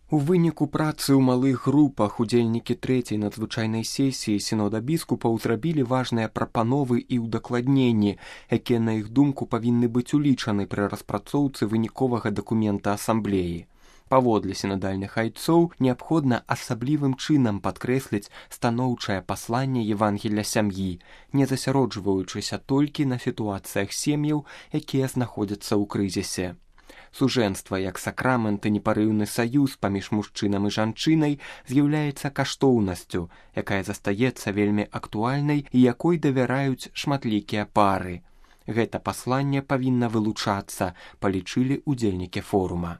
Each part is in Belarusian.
У выніку працы ў малых групах удзельнікі трэцяй надзвычайнай сесіі сінода біскупаў зрабілі важныя прапановы і ўдакладненні, якія, на іх думку, павінны быць улічаны пры распрацоўцы выніковага дакумента асамблеі. Паводле сінадальных айцоў неабходна асаблівым чынам падкрэсліць станоўчае пасланне Евангелля сям'і, не засяроджваючыся толькі на сітуацыях сем'яў, якія знаходзяцца ў крызісе. Сужэнства як сакрамент і непарыўны саюз паміж мужчынам і жанчынай з'яўляецца каштоўнасцю, якая застаецца вельмі актуальнай і якой давяраюць шматлікія пары. Гэта пасланне павінна вылучацца, палічылі удзельнікі форума.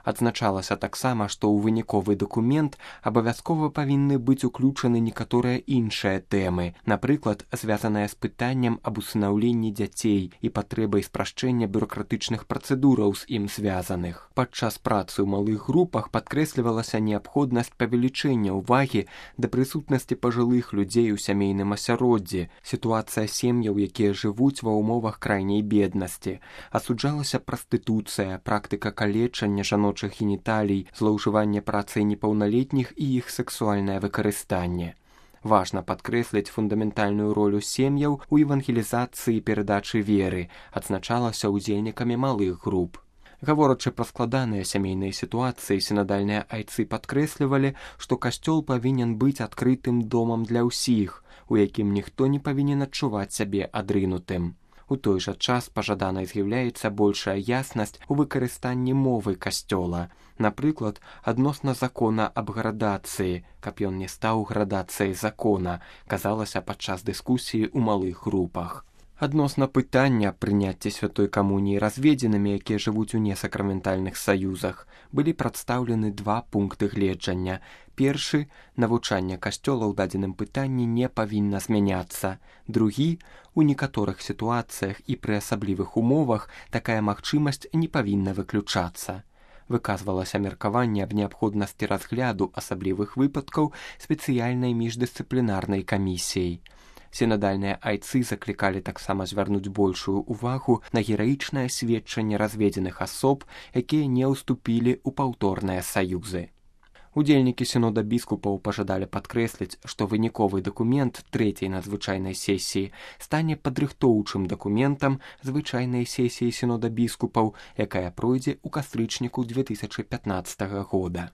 Адзначалася таксама, што ў выніковы дакумент абавязкова павінны быць уключаны некаторыя іншыя тэмы, напрыклад, звязаныя з пытаннем аб усынаўленні дзяцей і патрэбай спрашчэння бюракратычных працэдураў з ім звязаных. Падчас працы ў малых групах падкрэслівалася неабходнасць павелічэння ўвагі да прысутнасці пажылых людзей у сямейным асяроддзі, сітуацыя сем'яў, якія жывуць ва ўмовах крайняй беднасці. Асуджалася прастытуцыя, практыка калечання жаночых геніталій, злоўжыванне працай непаўналетніх і іх сексуальнае выкарыстанне. Важна падкрэсліць фундаментальную ролю сем'яў у евангелізацыі і перадачы веры, адзначалася ўдзельнікамі малых груп. Гаворачы пра складаныя сямейныя сітуацыі, сінадальныя айцы падкрэслівалі, што касцёл павінен быць адкрытым домам для ўсіх, у якім ніхто не павінен адчуваць сябе адрынутым. У той жа час пажаданай з'яўляецца большая яснасць у выкарыстанні мовы касцёла, напрыклад, адносна закона аб градацыі, каб ён не стаў градацыяй закона, казалася падчас дыскусіі ў малых групах. Адносна пытання прыняцця святой камуніі разведзенымі, якія жывуць у несакраментальных саюзах, былі прадстаўлены два пункты гледжання. Першы – навучанне касцёла ў дадзеным пытанні не павінна змяняцца. Другі – у некаторых сітуацыях і пры асаблівых умовах такая магчымасць не павінна выключацца. Выказвалася меркаванне аб неабходнасці разгляду асаблівых выпадкаў спецыяльнай міждысцыплінарнай камісіяй. Сінадальныя айцы заклікалі таксама звярнуць большую ўвагу на гераічнае сведчанне разведзеных асоб, якія не ўступілі ў паўторныя саюзы. Удзельнікі сінода біскупаў пажадалі падкрэсліць, што выніковы дакумент трэцяй надзвычайнай сесіі стане падрыхтоўчым дакументам звычайнай сесіі сінода біскупаў, якая пройдзе ў кастрычніку 2015 года.